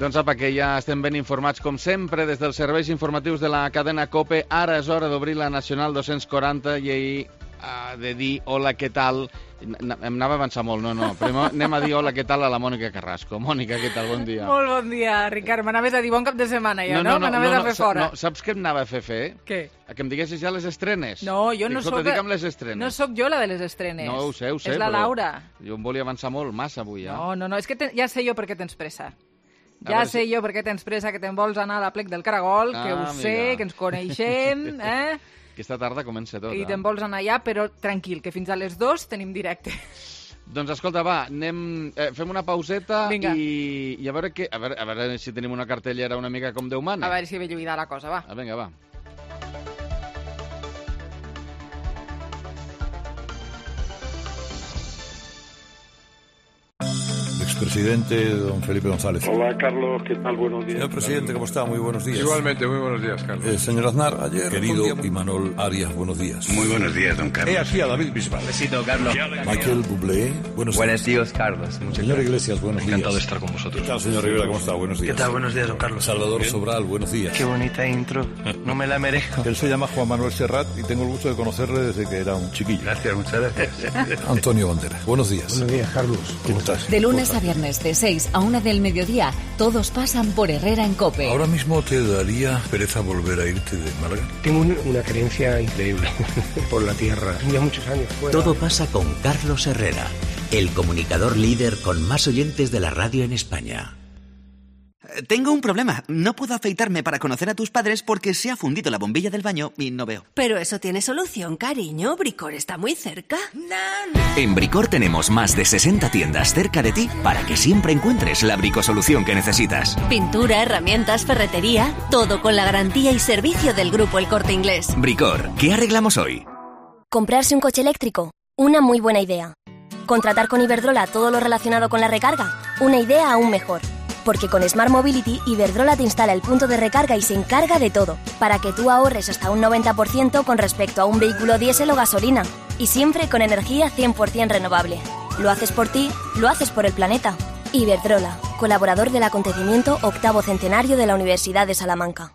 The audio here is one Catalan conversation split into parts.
Doncs apa, que ja estem ben informats, com sempre, des dels serveis informatius de la cadena COPE. Ara és hora d'obrir la Nacional 240 i ahir de dir hola, què tal. Em anava a avançar molt, no. Primer anem a dir hola, què tal a la Mònica Carrasco. Mònica, què tal? Bon dia. Molt bon dia, Ricard. M'anaves a dir bon cap de setmana ja, no? M'anaves a fer fora. No, saps què em anava a fer? Què? Que em diguessis ja les estrenes. No, jo no soc... No soc jo la de les estrenes. No, ho sé, és la Laura. Jo em volia avançar molt, massa avui, ja. No, és que ja sé jo per què tens pressa. Ja sé jo per què tens pressa, que te'n vols anar a la plec del Caragol, que ho sé, que ens coneixem, Aquesta tarda comença tot. I te'n vols anar allà, però tranquil, que fins a les 2 tenim directe. Doncs escolta, va, fem una pauseta. Vinga. I a veure si tenim una cartellera una mica com Déu mana. A veure si ve lluïda la cosa, va. Vinga, va. Presidente don Felipe González. Hola, Carlos, ¿qué tal? Buenos días. Señor presidente, ¿cómo está? Muy buenos días. Igualmente, muy buenos días, Carlos. Señor Aznar, ayer... Querido Imanol Arias, buenos días. Muy buenos días, don Carlos. Aquí a David Bisbal. Besito, Carlos. Michael Bublé, buenos días, Carlos. Señor Iglesias, buenos días. Encantado de estar con vosotros. ¿Qué tal, señor Rivera? ¿Cómo está? Buenos días. ¿Qué tal? Buenos días, don Carlos. Salvador Sobral, buenos días. Qué bonita intro. No me la merezco. Él se llama Juan Manuel Serrat y tengo el gusto de conocerle desde que era un chiquillo. Gracias, muchas gracias. Antonio Banderas, buenos días. Buenos días, Carlos. ¿Cómo estás? De lunes a viernes, de 6 a 1 del mediodía, todos pasan por Herrera en COPE. Ahora mismo te daría pereza volver a irte de Málaga. Tengo una creencia increíble por la tierra. Ya muchos años fuera. Todo pasa con Carlos Herrera, el comunicador líder con más oyentes de la radio en España. Tengo un problema. No puedo afeitarme para conocer a tus padres porque se ha fundido la bombilla del baño y no veo. Pero eso tiene solución, cariño. Bricor está muy cerca. En Bricor tenemos más de 60 tiendas cerca de ti para que siempre encuentres la bricosolución que necesitas. Pintura, herramientas, ferretería, todo con la garantía y servicio del Grupo El Corte Inglés. Bricor, ¿qué arreglamos hoy? Comprarse un coche eléctrico, una muy buena idea. Contratar con Iberdrola todo lo relacionado con la recarga, una idea aún mejor. Porque con Smart Mobility, Iberdrola te instala el punto de recarga y se encarga de todo, para que tú ahorres hasta un 90% con respecto a un vehículo diésel o gasolina. Y siempre con energía 100% renovable. Lo haces por ti, lo haces por el planeta. Iberdrola, colaborador del acontecimiento 8º centenario de la Universidad de Salamanca.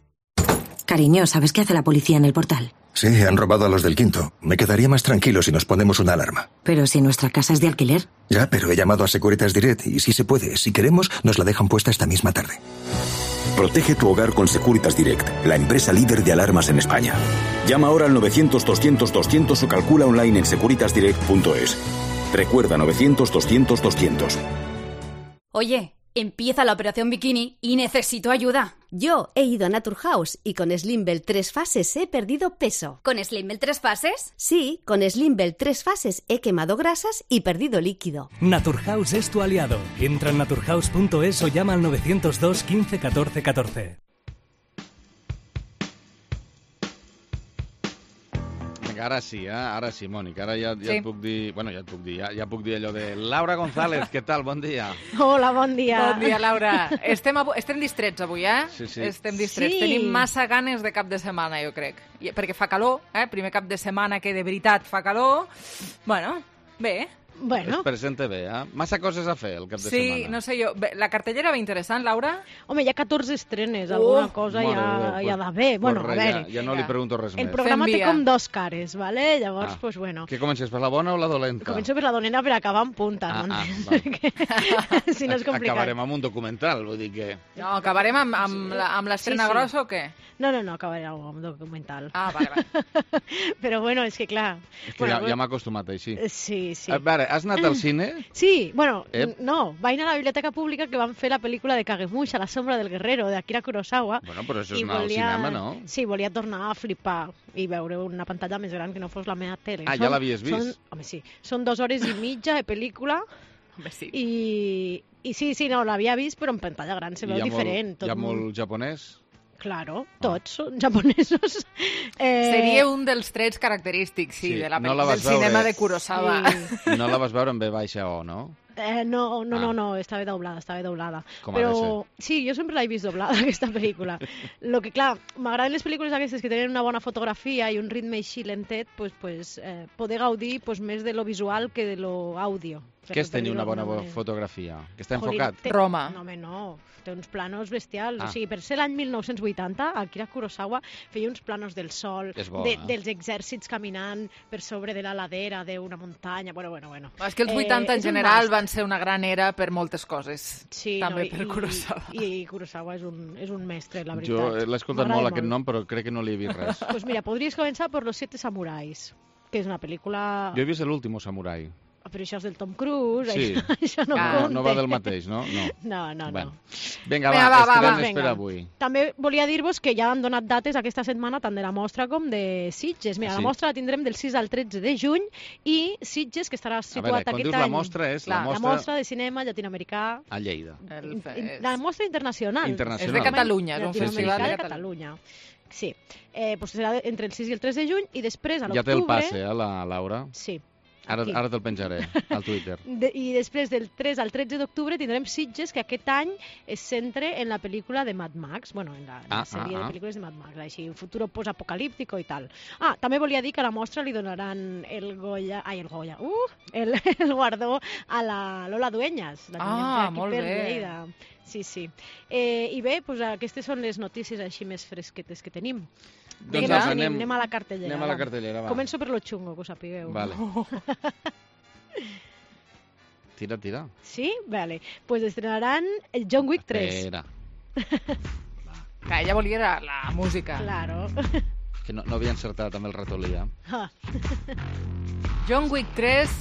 Cariño, ¿sabes qué hace la policía en el portal? Sí, han robado a los del quinto. Me quedaría más tranquilo si nos ponemos una alarma. Pero si nuestra casa es de alquiler. Ya, pero he llamado a Securitas Direct y si se puede, si queremos, nos la dejan puesta esta misma tarde. Protege tu hogar con Securitas Direct, la empresa líder de alarmas en España. Llama ahora al 900-200-200 o calcula online en securitasdirect.es. Recuerda 900-200-200. Oye, empieza la operación bikini y necesito ayuda. Yo he ido a Naturhaus y con Slimbell 3 fases he perdido peso. ¿Con Slimbell 3 fases? Sí, con Slimbell 3 fases he quemado grasas y perdido líquido. Naturhaus es tu aliado. Entra en naturhaus.es o llama al 902 15 14 14. Ara sí, Mònica, ara ja et puc dir... Bueno, ja et puc dir, ja puc dir allò de... Laura González, què tal? Bon dia. Hola, bon dia. Bon dia, Laura. Estem distrets avui, Sí. Estem distrets. Sí. Tenim massa ganes de cap de setmana, jo crec. Perquè fa calor, primer cap de setmana que de veritat fa calor. Bueno, bé. Es presenta bé, Massa coses a fer el cap de setmana. Sí, no sé jo. La cartellera va interessant, Laura? Home, hi ha 14 estrenes, alguna cosa hi ha d'haver. Bueno, a veure... Ja no li pregunto res més. El programa té com dos cares, ¿vale? Llavors, pues bueno... Que comences per la bona o la dolenta? Començo per la dolenta per acabar en punta, si no és complicat. Acabarem amb un documental, vull dir que... No, acabarem amb l'estrena grossa o què? No, acabarem amb un documental. Vale. Però bueno, és que clar... És que ja m'he acostumat així. Sí. A veure, has anat al cine? Sí, bueno, no, vaig anar a la Biblioteca Pública que van fer la pel·lícula de Kagemusha, La sombra del guerrero, de Akira Kurosawa. Bueno, però això és anar al cinema, no? Sí, volia tornar a flipar i veure una pantalla més gran que no fos la meva tele. Ja l'havies vist? Home, sí. Són 2 hores i mitja de pel·lícula. Home, sí. I sí, no, l'havia vist, però en pantalla gran se veu diferent. Hi ha molt japonès? Claro, tots són japonesos. Seria un dels trets característics, del cinema de Kurosawa. No la vas veure en V baixa O, no? No, estava doblada. Com però ha de ser. sí, jo sempre l'he vist doblada, aquesta pel·lícula. Lo que, clar, m'agraden les pel·lícules aquestes que tenen una bona fotografia i un ritme així lentet, poder gaudir més de lo visual que de lo àudio. Què és tenir una bona fotografia? Que està enfocat? Roma. No, home, no. Té uns planos bestials. O sigui, per ser l'any 1980, Akira Kurosawa feia uns planos del sol, dels exèrcits caminant per sobre de la ladera d'una muntanya. Bueno. És que els 80 en general van ser una gran era per moltes coses. Sí, també per Kurosawa. I Kurosawa és un mestre, la veritat. Jo l'he escoltat molt, aquest nom, però crec que no li he vist res. Doncs mira, podries començar per Los 7 Samurais, que és una pel·lícula... Jo he vist l'últim samurai. Però això és del Tom Cruise, sí. això no compta. No va del mateix, no? No. Bueno. Vinga, estarem per avui. També volia dir-vos que ja han donat dates aquesta setmana tant de la mostra com de Sitges. Mira, la mostra la tindrem del 6 al 13 de juny i Sitges, que estarà situat aquest any... la mostra és la mostra de cinema llatinoamericà... A Lleida. La mostra internacional. És de Catalunya, és un festival de Catalunya. Sí. Serà entre el 6 i el 3 de juny i després, a l'octubre... Ja té el passe, la Laura? Sí. Ara te'l penjaré al Twitter. I després del 3 al 13 d'octubre tindrem Sitges, que aquest any es centra en la pel·lícula de Mad Max, en la sèrie de pel·lícules de Mad Max, així, un futuro post-apocalíptico i tal. També volia dir que a la mostra li donaran el guardó a la Lola Dueñas, la tinent molt per bé. Lleida. Sí. I bé, aquestes són les notícies així més fresquetes que tenim. Doncs anem a la cartellera. Anem a la cartellera, va. Començo per lo xungo, que ho sapigueu. Vale. Tira. Sí? Vale. Pues estrenaran el John Wick 3. Espera. Que ella volia la música. Claro. Que no havia encertat amb el ratolí, John Wick 3...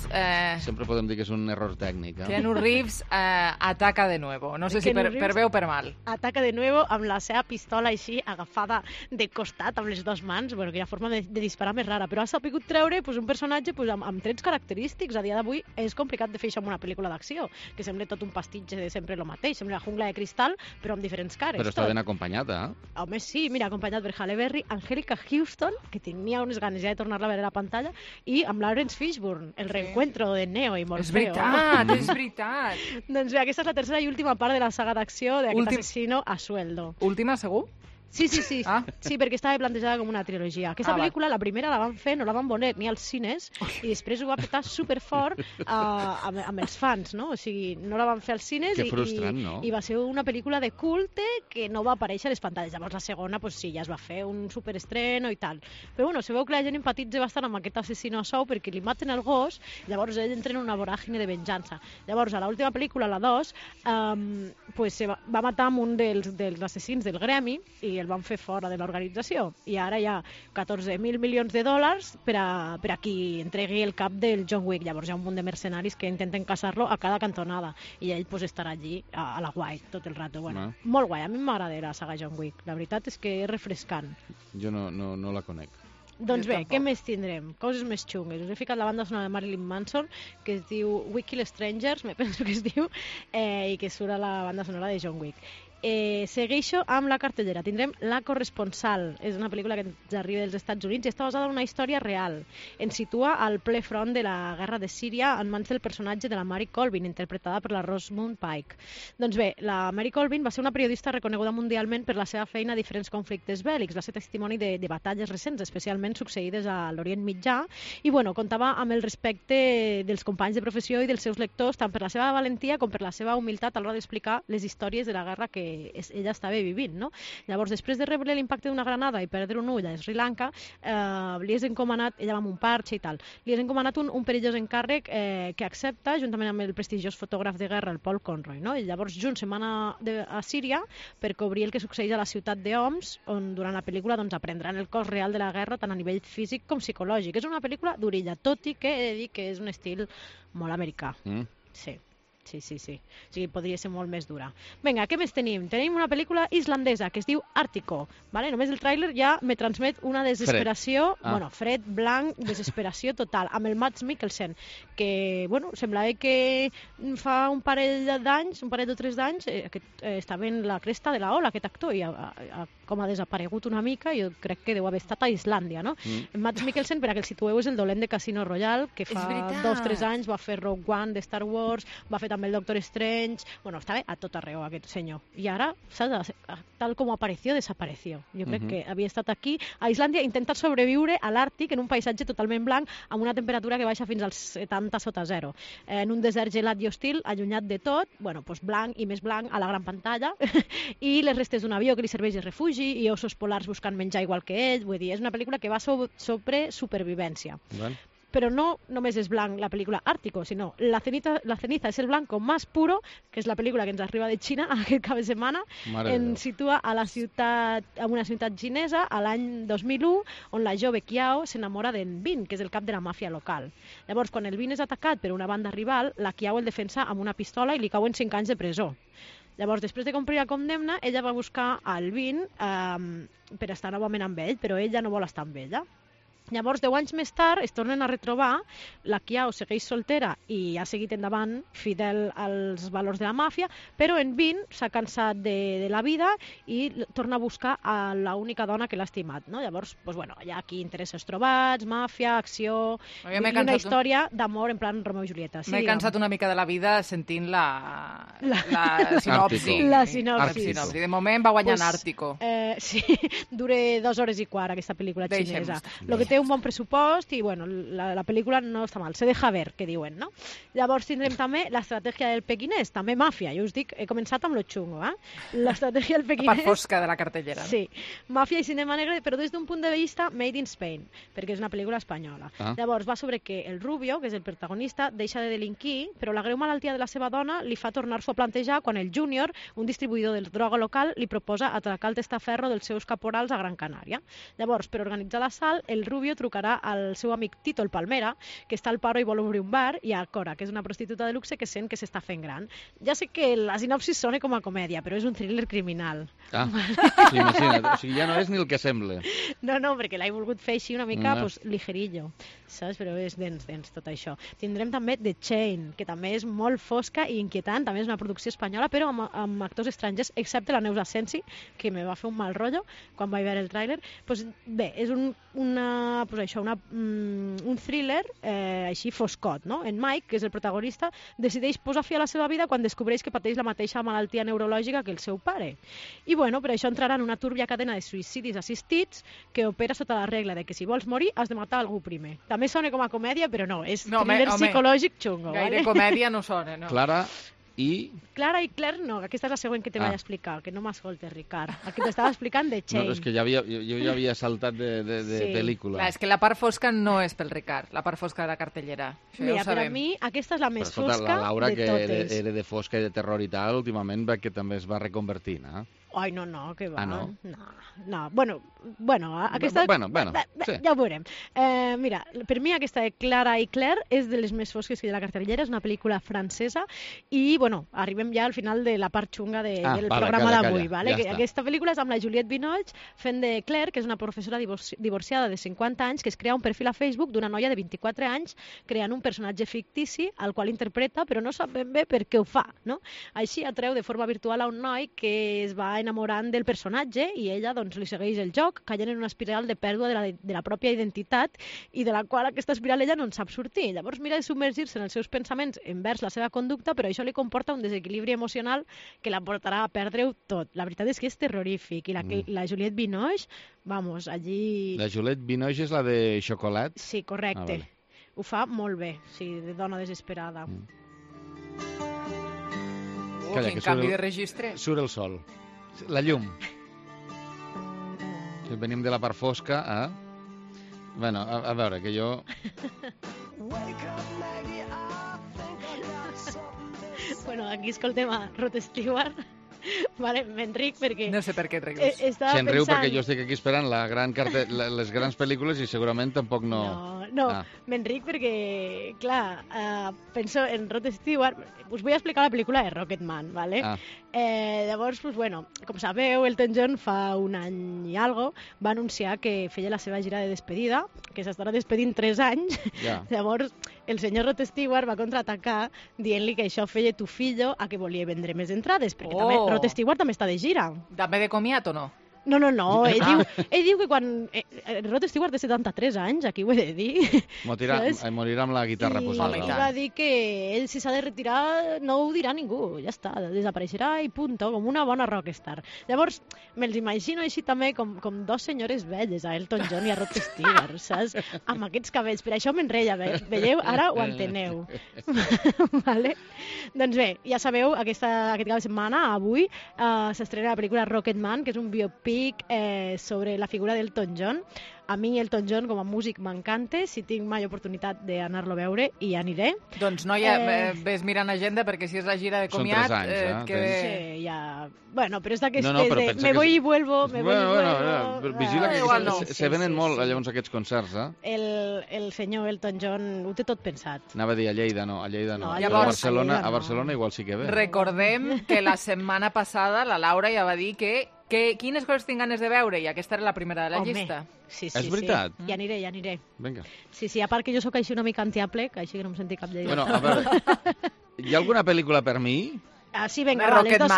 Sempre podem dir que és un error tècnic. Keanu Reeves ataca de nuevo. No sé si per bé o per mal. Ataca de nuevo amb la seva pistola així agafada de costat amb les dues mans. Bueno, aquella forma de disparar més rara. Però ha sabut treure un personatge amb trets característics. A dia d'avui és complicat de fer això en una pel·lícula d'acció, que sembla tot un pastitge de sempre el mateix. Sembla la jungla de cristal, però amb diferents cares. Però està ben acompanyat, Home, sí. Mira, acompanyat per Halle Berry, Angélica Houston, que tenia unes ganes ja de tornar-la a veure a la pantalla, i amb Lawrence Fishburne, el reencuentro de Neo i Morfeo. És veritat. Doncs bé, aquesta és la tercera i última part de la saga d'acció d'aquest asesino a sueldo. Última, segur? Sí. Sí, perquè estava plantejada com una trilogia. Aquesta pel·lícula, la primera la van fer, no la van voler ni als cines, i després ho va petar superfort amb els fans, no? O sigui, no la van fer als cines i va ser una pel·lícula de culte que no va aparèixer a les pantalles. Llavors la segona, sí, ja es va fer un superestreno i tal. Però bueno, se veu que la gent empatitza bastant amb aquest assassino a sou perquè li maten el gos, llavors ell entra en una voràgine de venjança. Llavors, a l'última pel·lícula, la 2, va matar amb un dels assassins del gremi i el van fer fora de l'organització. I ara hi ha 14.000 milions de dòlars per a qui entregui el cap del John Wick. Llavors hi ha un munt de mercenaris que intenten caçar-lo a cada cantonada i ell estarà allí a la guai tot el rato. Bueno, molt guai, a mi m'agrada la saga John Wick. La veritat és que és refrescant. Jo no la conec. Doncs bé, què més tindrem? Coses més xungues. Us he ficat la banda sonora de Marilyn Manson, que es diu We Kill Strangers, me penso que es diu, i que surt a la banda sonora de John Wick. Segueixo amb la cartellera. Tindrem La corresponsal. És una pel·lícula que ens arriba dels Estats Units i està basada en una història real. Ens situa al ple front de la guerra de Síria en mans del personatge de la Mary Colvin, interpretada per la Rosamund Pike. Doncs bé, la Mary Colvin va ser una periodista reconeguda mundialment per la seva feina a diferents conflictes bèl·lics. Va ser testimoni de batalles recents, especialment succeïdes a l'Orient Mitjà, i contava amb el respecte dels companys de professió i dels seus lectors, tant per la seva valentia com per la seva humilitat a l'hora d'explicar les històries de la guerra que ella estava vivint, no? Llavors, després de rebre l'impacte d'una granada i perdre un ull a Sri Lanka, li és encomanat, ella va amb un parxe i tal, li és encomanat un perillós encàrrec que accepta, juntament amb el prestigiós fotògraf de guerra, el Paul Conroy, no? I llavors junts se'n van a Síria per cobrir el que succeeix a la ciutat d'Homs, on durant la pel·lícula aprendran el cost real de la guerra tant a nivell físic com psicològic. És una pel·lícula d'orilla, tot i que he de dir que és un estil molt americà. Sí. Sí. O sigui, podria ser molt més dura. Vinga, què més tenim? Tenim una pel·lícula islandesa que es diu Àrtico. Vale? Només el tràiler ja me transmet una desesperació, fred, blanc, desesperació total, amb el Mads Mikkelsen, que, semblava que fa un parell o 3 d'anys, estava en la cresta de la ola, aquest actor, i com ha desaparegut una mica, jo crec que deu haver estat a Islàndia, no? Mads Mikkelsen, per a que el situeu, és el dolent de Casino Royale, que fa 2 o 3 anys va fer Rogue One de Star Wars, va fer també el Doctor Strange, estava a tot arreu aquest senyor, i ara, tal com apareció, desapareció. Jo crec que havia estat aquí a Islàndia intentant sobreviure a l'Àrtic en un paisatge totalment blanc amb una temperatura que baixa fins als 70 sota zero, en un desert gelat i hostil, allunyat de tot, blanc i més blanc a la gran pantalla i les restes d'un avió que li serveix de refugi i ossos polars buscant menjar igual que ell. Vull dir, és una pel·lícula que va sobre supervivència. Però no només és blanc la pel·lícula Àrtico, sinó La ceniza es el blanco más puro, que és la pel·lícula que ens arriba de Xina aquest cap de setmana. Ens situa a una ciutat xinesa a l'any 2001, on la jove Kiao s'enamora d'en Bin, que és el cap de la màfia local. Llavors, quan el Bin és atacat per una banda rival, la Kiao el defensa amb una pistola i li cauen 5 anys de presó. Llavors, després de complir la condemna, ella va buscar el Bin per estar novament amb ell, però ell ja no vol estar amb ella. Llavors, 10 anys més tard, es tornen a retrobar, la Kiao segueix soltera i ha seguit endavant fidel als valors de la màfia, però en Bin s'ha cansat de la vida i torna a buscar a l'única dona que l'ha estimat, no? Llavors, hi ha aquí interessos trobats, màfia, acció, i una història d'amor en plan Romeo i Julieta. M'he cansat una mica de la vida sentint la sinopsi. La sinopsi. De moment va guanyant Àrtico. Sí, dura 2 hores i quart aquesta pel·lícula xinesa. Lo que té un bon pressupost i la pel·lícula no està mal, se deja ver, que diuen, no? Llavors tindrem també l'estratègia del pequinès, també màfia, jo us dic, he començat amb lo xungo, l'estratègia del pequinès... La part fosca de la cartellera. Sí, màfia i cinema negre, però des d'un punt de vista made in Spain, perquè és una pel·lícula espanyola. Llavors va sobre que el Rubio, que és el protagonista, deixa de delinquir, però la greu malaltia de la seva dona li fa tornar-s'ho a plantejar quan el Júnior, un distribuïdor de droga local, li proposa atracar el testaferro dels seus caporals a Gran Canària. Llavors, per organitzar l'assalt, el Rubio trucarà al seu amic Tito el Palmera, que està al paro i vol obrir un bar, i a Cora, que és una prostituta de luxe que sent que s'està fent gran. Ja sé que la sinopsis sona com a comèdia, però és un thriller criminal. Sí, imagina't, o sigui, ja no és ni el que sembla. No, perquè l'he volgut fer així una mica ligerillo, saps? Però és dens tot això. Tindrem també The Chain, que també és molt fosca i inquietant, també és una producció espanyola, però amb actors estrangers, excepte la Neus Asensi, que me va fer un mal rotllo quan vaig veure el tràiler. Bé, és un thriller així foscot, no? En Mike, que és el protagonista, decideix posar fi a la seva vida quan descobreix que pateix la mateixa malaltia neurològica que el seu pare. I per això entrarà en una túrbia cadena de suïcidis assistits que opera sota la regla de que si vols morir has de matar algú primer. També sona com a comèdia, però no, és thriller psicològic xungo. Gaire comèdia no sona, no? Clara i Claire no, aquesta és la següent que te vaig explicar, que no m'escoltes, Ricard. Aquí t'estava explicant The Chain. No, és que jo ja havia saltat de pel·lícula. Clar, és que la part fosca no és pel Ricard, la part fosca de la cartellera. Això ja ho sabem. Per a mi aquesta és la més fosca de totes. La Laura, que era de fosca i de terror i tal, últimament que també es va reconvertir, no? Ai, no, que va. No? No. Bueno, aquesta... sí. Ja ho veurem. Mira, per mi aquesta de Clara i Claire és de les més fosques que hi ha de la cartellera, és una pel·lícula francesa i, arribem ja al final de la part xunga del programa d'avui. Vale? Ja aquesta pel·lícula és amb la Juliette Binoche fent de Claire, que és una professora divorciada de 50 anys que es crea un perfil a Facebook d'una noia de 24 anys creant un personatge fictici al qual interpreta, però no sap ben bé per què ho fa, no? Així atreu de forma virtual a un noi que es va enamorant del personatge i ella li segueix el joc, caient en una espiral de pèrdua de la pròpia identitat i de la qual aquesta espiral ella no en sap sortir. Llavors mira de submergir-se en els seus pensaments envers la seva conducta, però això li comporta un desequilibri emocional que la portarà a perdre-ho tot. La veritat és que és terrorífic i la Juliette Binoche, allí... La Juliette Binoche és la de Xocolat? Sí, correcte. Vale. Ho fa molt bé, sí, de dona desesperada. Calla, quin canvi de registre. Surt el sol. La llum. Si venim de la part fosca, Bueno, a veure, que jo... Bueno, aquí escoltem a Rod Stewart Vale, m'enric perquè... No sé per què et rius. Se'n riu perquè jo estic aquí esperant les grans pel·lícules i segurament tampoc no... No, m'enric perquè, clar, penso en Rod Stewart. Us vull explicar la pel·lícula de Rocketman, ¿vale? Llavors, pues, bueno, com sabeu, Elton John fa un any i algo va anunciar que feia la seva gira de despedida, que s'estarà despedint 3 anys. Llavors, el senyor Rod Stewart va contraatacar dient-li que això feia tu fillo a que volia vendre més entrades, perquè també Rod Stewart també està de gira. També de comiat o no? No, ell diu que quan Rod Stewart té 73 anys, aquí ho he de dir. Morirà amb la guitarra posada. I va dir que ell, si s'ha de retirar, no ho dirà ningú, ja està, desapareixerà i punto, com una bona rockstar. Llavors, me'ls imagino així també com 2 senyores velles, a Elton John i a Rod Stewart, saps? Amb aquests cabells, per això m'enreia, veieu? Ara ho enteneu. Vale? Doncs bé, ja sabeu, aquest cap de setmana, avui, s'estrena la pel·lícula Rocketman, que és un biopic sobre la figura d'Elton John. A mi Elton John com a músic m'encanta, si tinc mai oportunitat d'anar-lo a veure hi aniré. Doncs noia, ves mirant agenda perquè si és la gira de comiat... Són 3 anys, Sí, ja... Bueno, però és d'aquestes de me voy y vuelvo, me voy y vuelvo... Vigila que se venen molt llavors aquests concerts, eh? El senyor Elton John ho té tot pensat. Anava a dir a Lleida no. A Barcelona igual sí que ve. Recordem que la setmana passada la Laura ja va dir que quines coses tinc ganes de veure i aquesta era la primera de la llista. Sí, és veritat? Sí. Ja aniré. Vinga. Sí, a part que jo sóc així una mica antiaple, que així que no em senti cap lleida. Bueno, a veure, hi ha alguna pel·lícula per mi? Sí, vinga, les dos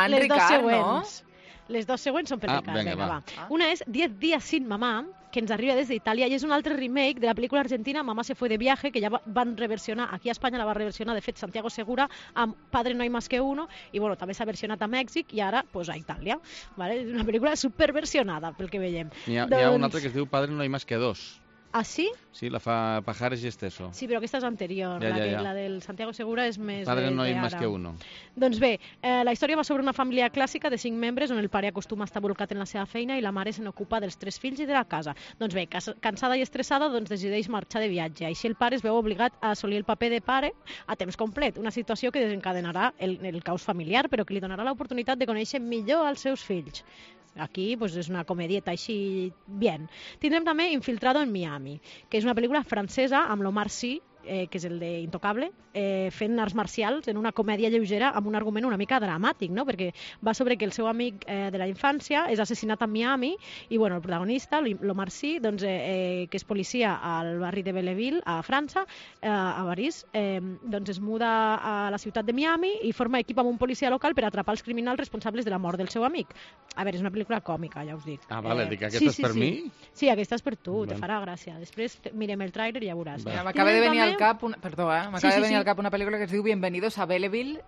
següents. Les 2 següents són per Ricard. Vinga, va. Una és 10 días sin mamá, que ens arriba des d'Itàlia, i és un altre remake de la pel·lícula argentina Mamá se fue de viaje, que ja van reversionar, aquí a Espanya la va reversionar, de fet, Santiago Segura, amb Padre no hay más que uno, i bueno, també s'ha versionat a Mèxic i ara pues, a Itàlia. Vale? És una pel·lícula superversionada, pel que veiem. Hi ha un altre que es diu Padre no hay más que dos. Ah, sí? Sí, la fa Pajares i Esteso. Sí, però aquesta és anterior. La del Santiago Segura és més Padre no hay más que uno. Doncs bé, la història va sobre una família clàssica de 5 membres on el pare acostuma a estar bolcat en la seva feina i la mare se n'ocupa dels 3 fills i de la casa. Doncs bé, cansada i estressada, decideix marxar de viatge. Així el pare es veu obligat a assolir el paper de pare a temps complet, una situació que desencadenarà el caos familiar, però que li donarà l'oportunitat de conèixer millor els seus fills. Aquí pues, és una comedieta així bien. Tindrem també Infiltrado en Miami, que és una pel·lícula francesa amb l'Omar Sy, que és el de Intocable, fent arts marcials en una comèdia lleugera amb un argument una mica dramàtic, no? Perquè va sobre que el seu amic de la infància és assassinat a Miami i bueno, el protagonista, l'Omar Sy, doncs, que és policia al barri de Belleville, a França, a París, doncs es muda a la ciutat de Miami i forma equip amb un policia local per atrapar els criminals responsables de la mort del seu amic. A veure, és una pel·lícula còmica, ja us dic. Ah, vale, dic, aquesta és per mi? Sí, aquesta és per tu, te farà gràcia. Després mirem el tràiler i ja veuràs. M'acaba de venir al cap una pel·lícula que es diu Bienvenidos a Belleville,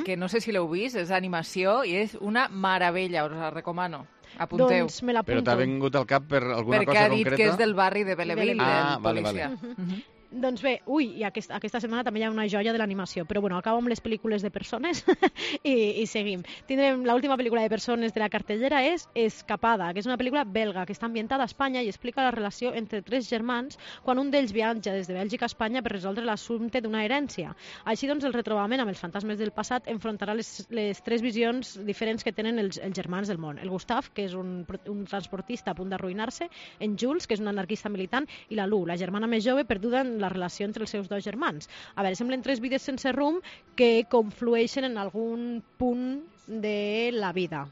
que no sé si l'heu vist, és animació i és una meravella, us la recomano. Apunteu. Doncs me l'apunto. Però t'ha vingut al cap per alguna cosa concreta? Perquè ha dit que és del barri de Belleville, del policia. Doncs bé, i aquesta setmana també hi ha una joia de l'animació, però bueno, acabo amb les pel·lícules de persones i seguim. Tindrem l'última pel·lícula de persones de la cartellera és Escapada, que és una pel·lícula belga que està ambientada a Espanya i explica la relació entre 3 germans quan un d'ells viatja des de Bèlgica a Espanya per resoldre l'assumpte d'una herència. Així doncs, el retrobament amb els fantasmes del passat enfrontarà les 3 visions diferents que tenen els germans del món. El Gustav, que és un transportista a punt d'arruïnar-se, en Jules, que és un anarquista militant, i la Lu, la germana més jove, perduda en la relació entre els seus 2 germans. A veure, semblen 3 vides sense rumb que conflueixen en algun punt de la vida.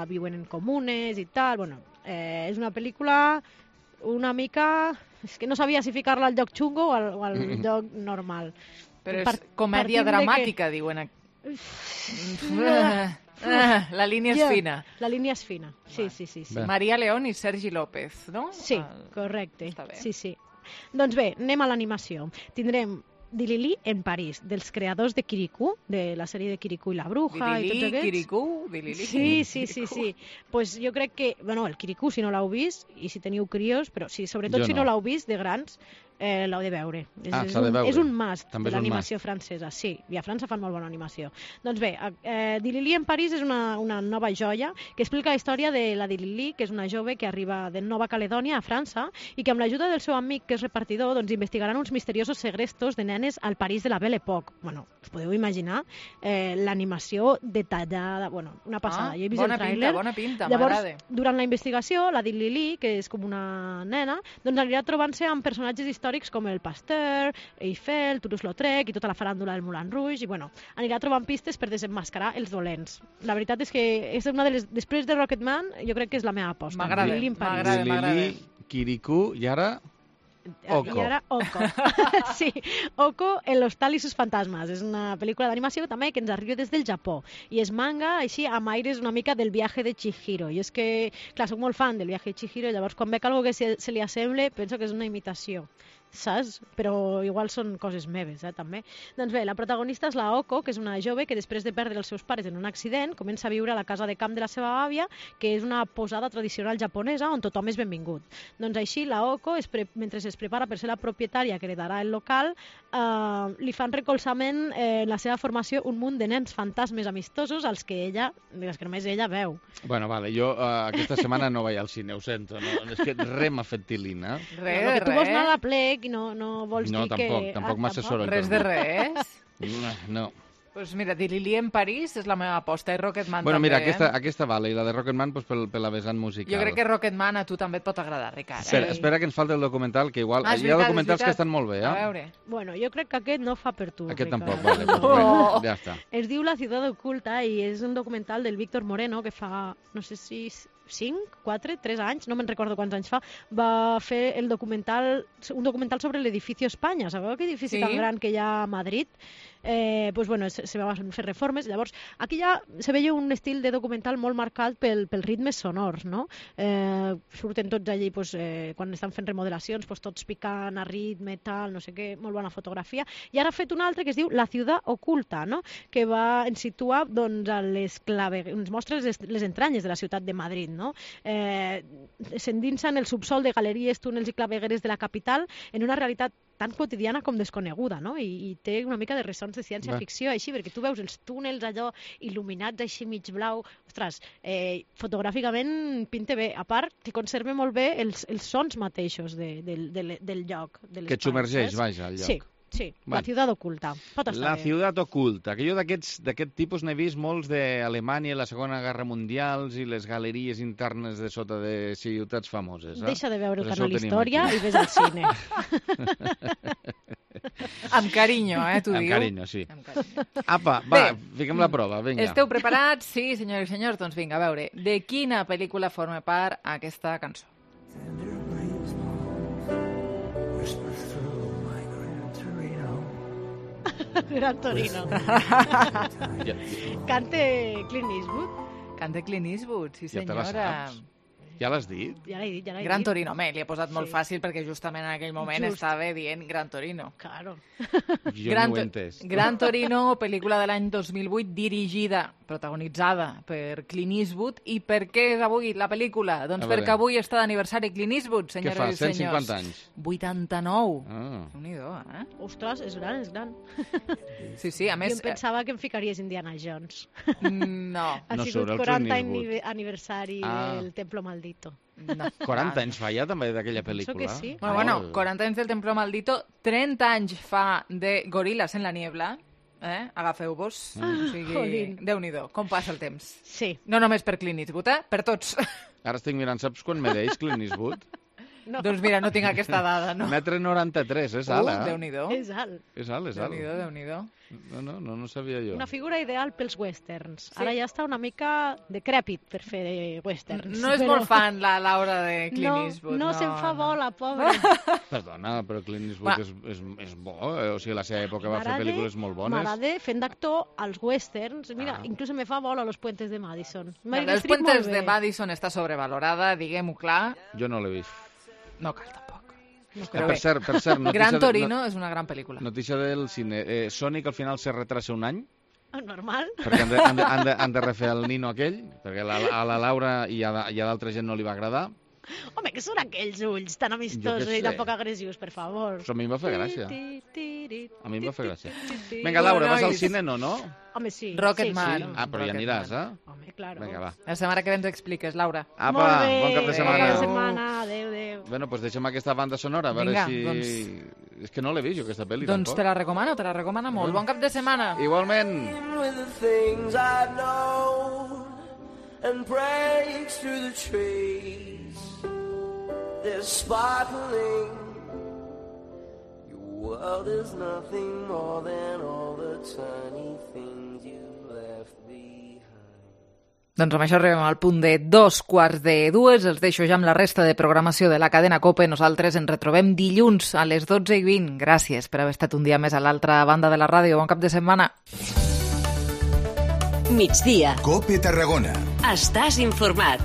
Viuen en comunes i tal. Bueno, és una pel·lícula una mica... És que no sabia si ficar-la al lloc xungo o al lloc normal. Però és comèdia dramàtica, diuen. La línia és fina. La línia és fina, sí. Maria León i Sergi López, no? Sí, correcte. Sí. Doncs bé, anem a l'animació. Tindrem Dilili en París, dels creadors de Kirikou, de la sèrie de Kirikou i la Bruja i tots aquests. Kirikou. Sí. Pues jo crec que, bueno, el Kirikou, si no l'heu vist, i si teniu crios, però sí, sobretot si no l'heu vist, de grans, l'heu de veure. S'ha de veure. És un must També de l'animació francesa, sí, i a França fan molt bona animació. Doncs bé, Dilili en París és una nova joia que explica la història de la Dilili, que és una jove que arriba de Nova Caledònia a França i que amb l'ajuda del seu amic, que és repartidor, doncs investigaran uns misteriosos segrestos de nenes al París de la Belle Époque. Bueno, us podeu imaginar l'animació detallada, bueno, una passada. Jo he vist el tràiler. Bona pinta, llavors, m'agrada. durant la investigació, la Dilili, que és com una nena, doncs anirà trobant-se amb personatges històrics com el Pasteur, Eiffel, Toulouse-Lautrec i tota la faràndula del Moulin Rouge, i bueno, anirà trobant pistes per desenmascarar els dolents. La veritat és que és una de les... Després de Rocketman, jo crec que és la meva aposta. M'agrada. Dilili, Kirikou i ara... Oko. I ara Oko. Sí, Oko, El hostal i sus fantasmes. És una pel·lícula d'animació també que ens arriba des del Japó. I és manga, així, amb aires una mica del viatge de Chihiro. I és que, clar, soc molt fan del viatge de Chihiro, llavors quan veig algo que se li assemble, penso que és una imitació. Saps? Però igual són coses meves, també. Doncs bé, la protagonista és la Oko, que és una jove que després de perdre els seus pares en un accident comença a viure a la casa de camp de la seva àvia, que és una posada tradicional japonesa on tothom és benvingut. Doncs així la Oko, mentre es prepara per ser la propietària que heredarà el local, li fan recolzament en la seva formació un munt de nens fantasmes amistosos als que només ella veu. Bueno, vale, jo aquesta setmana no vaig al cine, ho sento. No? És que res m'ha fet tilina. Res. Tu vols anar a la plec i no vols dir que... No, tampoc m'assessoro. Res de res? No. Pues mira, Dilili en París és la meva aposta, i Rocketman bueno, també. Mira, aquesta vale, i la de Rocketman pues, per la vessant musical. Jo crec que Rocketman a tu també et pot agradar, Ricard. Espera que ens falta el documental, que igual... Hi ha documentals que estan molt bé, A veure. Bueno, jo crec que aquest no fa per tu, Aquest Ricard. tampoc, vale, pues, bueno, ja està. Es diu La ciudad oculta i és un documental del Víctor Moreno que fa, no sé si 5, 4, 3 anys, no me'n recordo quants anys fa, va fer un documental sobre l'edifici Espanya. Sabeu aquell edifici tan gran que hi ha a Madrid? Pues bueno, se van fer reformes. Llavors, aquí ja se veia un estil de documental molt marcat pels ritmes sonors, no? Surten tots allí, pues, quan estan fent remodelacions, pues, tots picant a ritme, tal, no sé què, molt bona fotografia. I ara ha fet un altre que es diu La ciudad oculta, no? Que ens situa, doncs, ens mostra les entranyes de la ciutat de Madrid, no? S'endinsa en el subsol de galeries, túnels i clavegueres de la capital en una realitat tan quotidiana com desconeguda, no? I té una mica de ressons de ciència-ficció, així, perquè tu veus els túnels allò il·luminats així mig blau. Ostres, fotogràficament pinta bé. A part, que conserva molt bé els sons mateixos del lloc. Que et submergeix, vaja, al lloc. Sí, La ciutat oculta. Pot estar La bé. ciutat oculta, que jo d'aquest tipus n'he vist molts d'Alemanya, la Segona Guerra Mundial i les galeries internes de sota de ciutats famoses. Deixa de veure el canal Història i ves al cine. Amb carinyo, tu dius? Amb carinyo, sí. Apa, va, fiquem la prova, vinga. Esteu preparats? Sí, senyors i senyors, doncs vinga, a veure, de quina pel·lícula forma part aquesta cançó? Gran Torino. Cante Clint Eastwood. Cante Clint Eastwood, sí senyora. Ja te la saps? Ja l'has dit? Ja l'he dit. Gran Torino, li he posat molt fàcil perquè justament en aquell moment estava dient Gran Torino. Claro. Jo no ho he entès. Gran Torino, pel·lícula de l'any 2008, dirigida, protagonitzada per Clint Eastwood. I per què és avui la pel·lícula? Doncs perquè avui està d'aniversari Clint Eastwood, senyores i senyors. Què fa, 150 anys? 89. Déu-n'hi-do, Ostres, és gran, és gran. Sí, a més... Jo em pensava que em ficaries Indiana Jones. No. Ha sigut 40 aniversari del Templo Maldito. No. 40 anys fa ja també d'aquella pel·lícula? Penso que sí. Bueno, 40 anys del Templo Maldito, 30 anys fa de Gorilas en la niebla. Agafeu-vos. O sigui, Déu-n'hi-do, com passa el temps. Sí. No només per Clint Eastwood, per tots. Ara estic mirant, saps quan mereix Clint Eastwood? No. Doncs mira, no tinc aquesta dada, no? 1,93 m, és alt, Déu-n'hi-do. És alt. És alt. Déu-n'hi-do. No sabia jo. Una figura ideal pels westerns. Sí. Ara ja està una mica decrèpit per fer westerns. No és molt fan la Laura de Clint Eastwood. No se'n fa bola, pobra. Perdona, però Clint Eastwood és bo. O sigui, a la seva època va fer pel·lícules molt bones. M'agrada fent d'actor als westerns. Mira, inclús me fa bola Los Puentes de Madison. Los Puentes de Madison està sobrevalorada, diguem-ho clar. Jo no l'he vist. No cal, tampoc. Per cert, Gran Torino és una gran pel·lícula. Notícia del cine. Sonic al final se retrasa un any. Normal. Perquè han de refer el nino aquell, perquè a la Laura i a l'altra gent no li va agradar. Home, què són aquells ulls tan amistosos i tan poc agressius, per favor? Això a mi em va fer gràcia. A mi em va fer gràcia. Vinga, Laura, vas al cine, no? Home, sí. Rocketman. Ah, però ja aniràs, eh? Home, claro. Vinga, va. La setmana que ve ens expliques, Laura. Apa, Molt bé. bon cap de setmana. Bon cap de setmana. Adéu, adéu. Bueno, doncs deixem aquesta banda sonora, a veure Vinga, si... doncs. És que no l'he vist, jo, aquesta pel·li, Doncs tampoc. te la recomana molt. Bon cap de setmana. Igualment. And breaks through the trees. They're sparkling. Your world is nothing more than all the tiny things you left behind. Doncs amb això arribem al punt de 2:15. Els deixo ja amb la resta de programació de la cadena COPE. Nosaltres ens retrobem dilluns a les 12:20. Gràcies per haver estat un dia més a l'altra banda de la ràdio. Bon cap de setmana. Migdia. COPE Tarragona. Estàs informat.